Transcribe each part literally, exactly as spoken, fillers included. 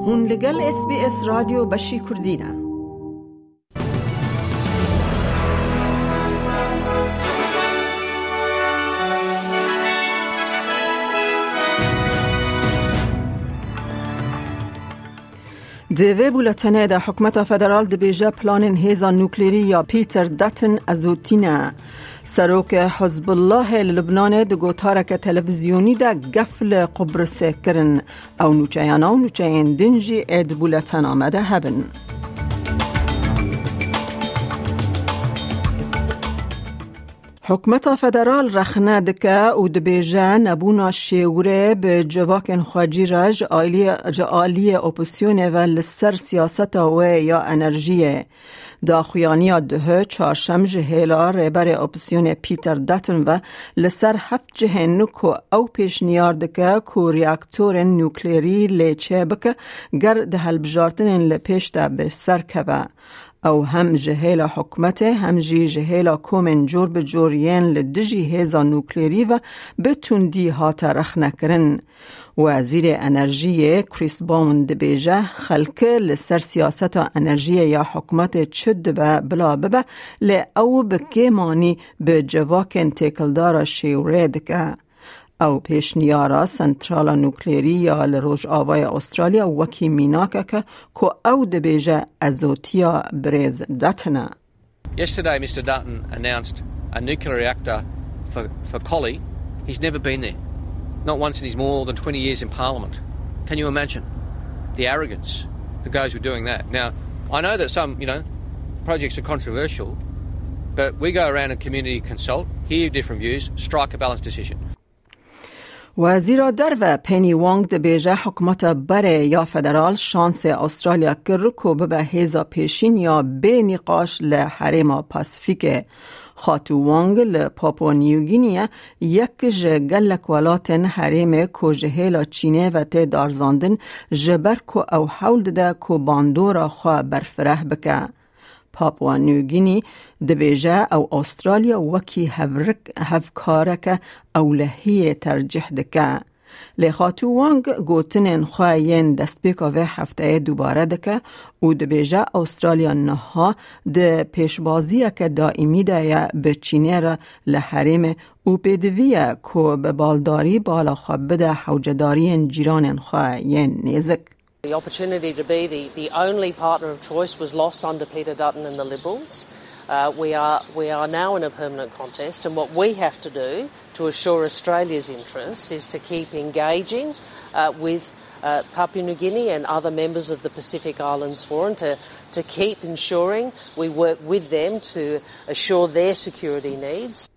Hûn li gel S B S Radyo Beşî Kurdî ne. Di vê bûletenê de hikûmeta federal dibêje planên hêza nuklerî ya Peter Dutton ezotî ne. Serokê Hizbullahê li Libnanê di gotareke televîzyonî de gef li Qubrisê kirin. Ew nûçeyana û nûçeyên din jî ê di bûletena me de hebin. Hikûmeta federal rexne dike û dibêje nebûna şêwirê bi civakên xwecî re ji aliyê, ji aliyê opozîsyonê ve li ser siyaseta wê ya enerjiyê. Daxuyaniya duhê çarşem ji hêla rêberê opozîsyonê Peter Dutton ve li ser heft cihên ku ew pêşniyar dike ku reaktorên nuklerî lê çêbike, ger di hilbijartinên li pêş de bi ser keve. Ew hem ji hêla hikûmetê, hem jî ji hêla komên cor bi cor yên li dijî hêza nuklerî ve bi tundî hate rexnekirin. Wezîrê Enerjiyê Chris Bowen dibêje, xelk li ser siyaseta enerjiyê ya hikûmetê çi dibe bila bibe, lê ew bi kêmanî bi civakên têkildara şêwirê dike. Ew pêşniyara sentrala nuklerî ya li Rojavaya Australya wekî mînakeke ku ew dibêje ezotiya birêz Dutton e. Yesterday, Mister Dutton announced a nuclear reactor for, for Collie. He's never been there, not once in his more than twenty years in Parliament. Can you imagine the arrogance that goes with doing that? Now, I know that some, you know, projects are controversial, but we go around and community consult, hear different views, strike a balanced decision. Wezîra Derve Penny Wong dibêje hikûmeta berê ya federal şansê Australya kir ku bibe hêza pêşîn ya bê nîqaş li herêma Pasifîkê. Xatû Wong li Papua New Guinea yek ji gelek welatên herêmê ku ji hêla Çînê ve tê darzandin, ji ber ku ew hewl dide ku bandora xwe berfireh bike. Papua New Guinea dibêje ew Australya wekî hevrik, hevkareke ewlehiyê tercih dike. Lê Xatû Wang gotinên xwe yên destpêka vê hefteyê dubare dike û dibêje Australya niha di pêşbaziyeke daîmî de ye bi Çînê re li herêmê û pêdivî ye ku bi baldarî bala xwe bide hewcedariyên cîranên xwe yên nêzik. The opportunity to be the, the only partner of choice was lost under Peter Dutton and the Liberals. Uh, we are, we are now in a permanent contest, and what we have to do to assure Australia's interests is to keep engaging, uh, with, uh, Papua New Guinea and other members of the Pacific Islands Forum to, to keep ensuring we work with them to assure their security needs.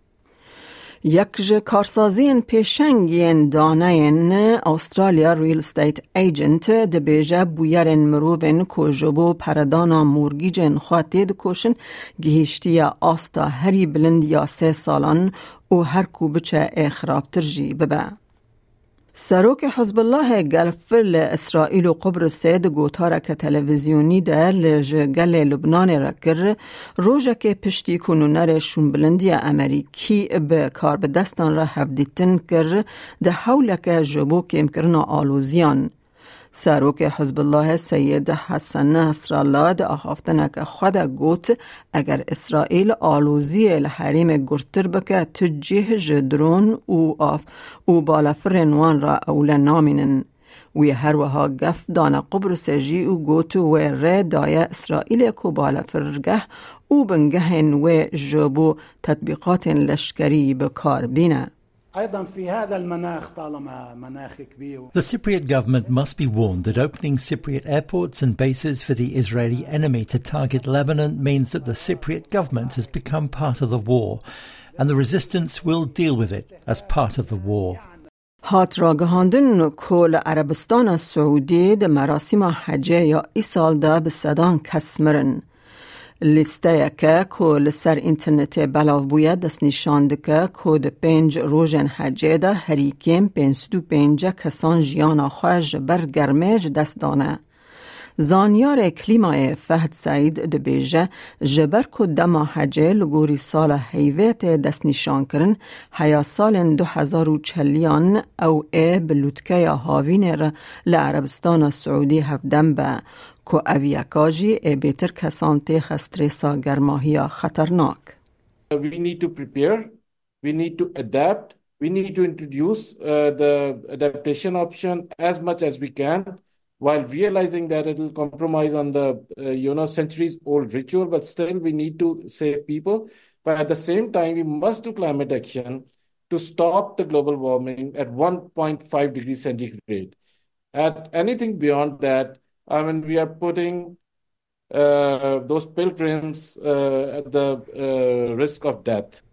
Yek ji karsaziyên pêşeng yên daneyên Australia Real Estate Agent dibêje bûyerên mirovên ku ji bo peredana morgîcên xwe têdikoşin gihîştiye asta herî bilind ya sê salan û her ku biçe ê xirabtir jî bibe. Serokê Hizbullahê gelf li Îsraîl û Qubrisê di gotareke televîzyonî de li ji gelê Lubnanê re kir, rojekê piştî ku nûnerê şûnbilindiya Amerîkî bi karbidestan re hevdîtin kir, di hewleke ji bo kêmkirina aloziyan. Serokê Hizbullahê Seyid Hesen Nesrallah di axaftineke xwe de got, eger Îsraîl aloziyê li herêmê gurtir bike, tu cih ji dron û av û balafirên wan re ewle namînin. Wî her wiha gef dane Qubrisê jî û got, wê rê daye Îsraîlê ku balafirgeh û bingehên wê ji bo tetbîqatên leşkerî bi kar bîne. أيضًا في هذا المناخ، طالما مناخ كبير. The Cypriot government must be warned that opening Cypriot airports and bases for the Israeli enemy to target Lebanon means that the Cypriot government has become part of the war, and the resistance will deal with it as part of the war. Hat ragihandin ku li Erebistana Siûdî di merasîma hecê ya îsal de bi sedan kes mirin. Lîsteyeke ku li ser înternetê belav bûye destnîşan dike ku di pênc rojên hecê de herî kêm pênc sed û pêncî kesan jiyana xwe ji ber germê ji dest dane. Zanyarê klîmayê Fehd Seîd dibêje, ji ber ku dema hecê li gorî sala heyvê tê destnîşankirin, heya salên du hezar û çeliyan ew ê bi lûtkeya havînê re li Erebistana Siûdî hevdem be, ku ev yeka jî ê bêtir kesan têxe stresa germahiya xeternak. We need to prepare, we need to adapt, we need to introduce uh, the adaptation option as much as we can, while realizing that it will compromise on the uh, you know centuries old ritual, but still we need to save people. But at the same time, we must do climate action to stop the global warming at one point five degrees centigrade. At anything beyond that, I mean, we are putting uh, those pilgrims uh, at the uh, risk of death.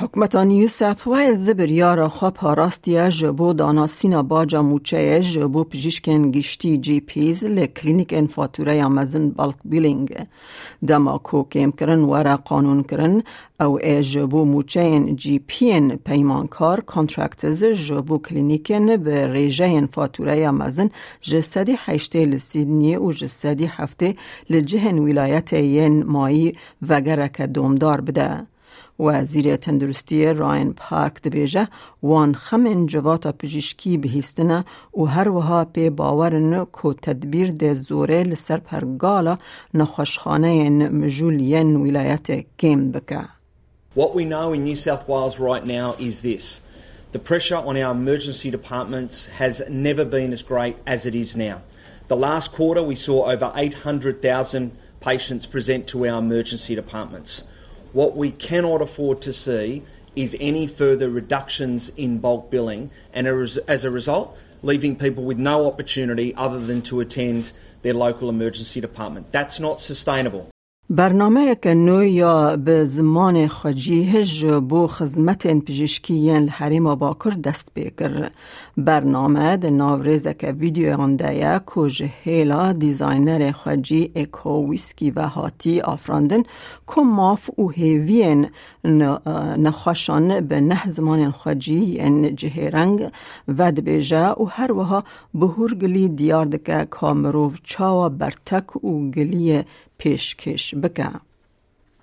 Hikûmeta New South Wales biryara xwe parastiye ji bo danasîna baca mûçeyê ji bo pijîşkên giştî G Ps li klînîkên fatûreya mezin, bulk billing. Dema ku kêmkirin were qanûnkirin, ew ê ji bo mûçeyên G P'yên peymankar, contractors, ji bo klînîkên bi rêjeyên fatûreya mezin ji sedî heştê li Sydney û ji sedî heftê li cihên wîlayetê yên mayî vegereke domdar bide. Wezîrê Tenduristiyê Ryan Park dibêje, wan xemên civata pijîşkî bihîstine û her wiha pê bawer in ku tedbîr dê zorê li ser pergala nexweşxaneyên mijûl yên wîlayetê kêm bike. What we know in New South Wales right now is this. The pressure on our emergency departments has never been as great as it is now. The last quarter, we saw over eight hundred thousand patients present to our emergency departments. What we cannot afford to see is any further reductions in bulk billing, and as as a result, leaving people with no opportunity other than to attend their local emergency department. That's not sustainable. Bernameyeke nû ya bi zimanê xwecî ji bo xizmetên pijîşkî yên li Herêma Bakur dest pê kir. Bername di nav rêzeke vîdeoyan de ye ku ji hêla dîzaynerê xwecî Eko Wîskî ve hatî afirandin, ku maf û hêviyên ne-, nexweşan bi neh zimanên xwecî yên cihêreng vedibêje û her wiha bi hûrgilî diyar dike ka mirov çawa bertek û giliyê pêşkêş bike.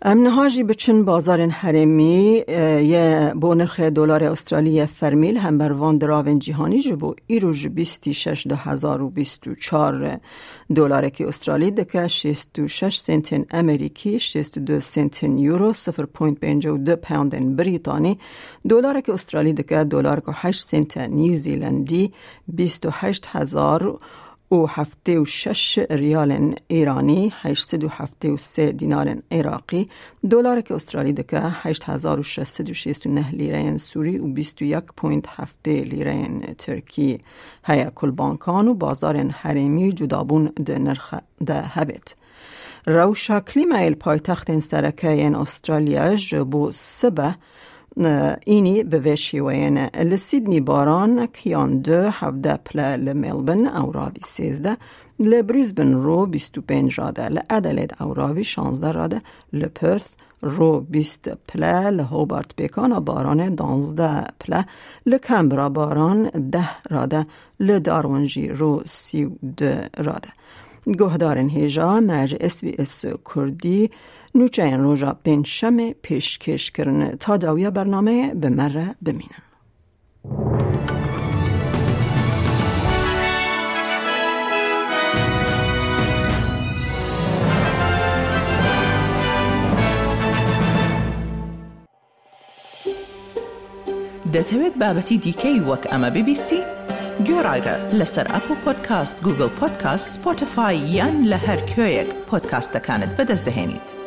Em niha jî biçin bazarên herêmî, e, ye bo nirxê dolarê Australî ye fermî li hember van diravên cîhanî ji bo îro ji bîstî şeş du hezar û bîst û çar. Dolarekî Australî dike şêst û şeş sentên Amerîkî, şêst û du sentên Euro, sifir point pêncî û du poundên Brîtanî. Dolarekî Australî dike dolarek û heşt sente New Zealandî, bîst û heşt hezar û heftê û şeş riyalên Îranî, heşt sed û heftê û sê dînarên Iraqî, dolareke Australî dike heşt hezar û şeş sed û şêst û neh lîreyên Sûrî û bîst û yek point heftê lîreyên Tirkî. Heye ku li bankan û bazarên herêmî cudabûn di nirxe de hebêt. Rewşa klîmayê li paytextên sereke yên Australya ji bo sibe, e, înî bi vê şêweyê ne. Li Sydney baranek yan du, hevdeh pile li Melbourne, ewravî sêzdeh, li Brisbane ro bîst û pênc rade, li Adelaide ewravî şazdeh rade, li Perth ro bîst pile, li Hobart pêkana baranê danzdeh pile, li Canberra baran deh rade, li Darwin jî ro sî û du rade. Guhdarên hêja me ji S B S Kurdî nûçeyên roja pêncşemê pêşkêş kirin. Ta dawiya bernameyê bi me re bimînin. دەتەوێت بابەتی دیکەی وەک ئەمە ببیستی؟ گوێڕایرە لەسەر ئەپڵ پۆدکاست، گوگڵ پۆدکاست، سپۆتیفای یان لە هەر کوێیەک پۆدکاستەکانت بەدەست دەهێنیت.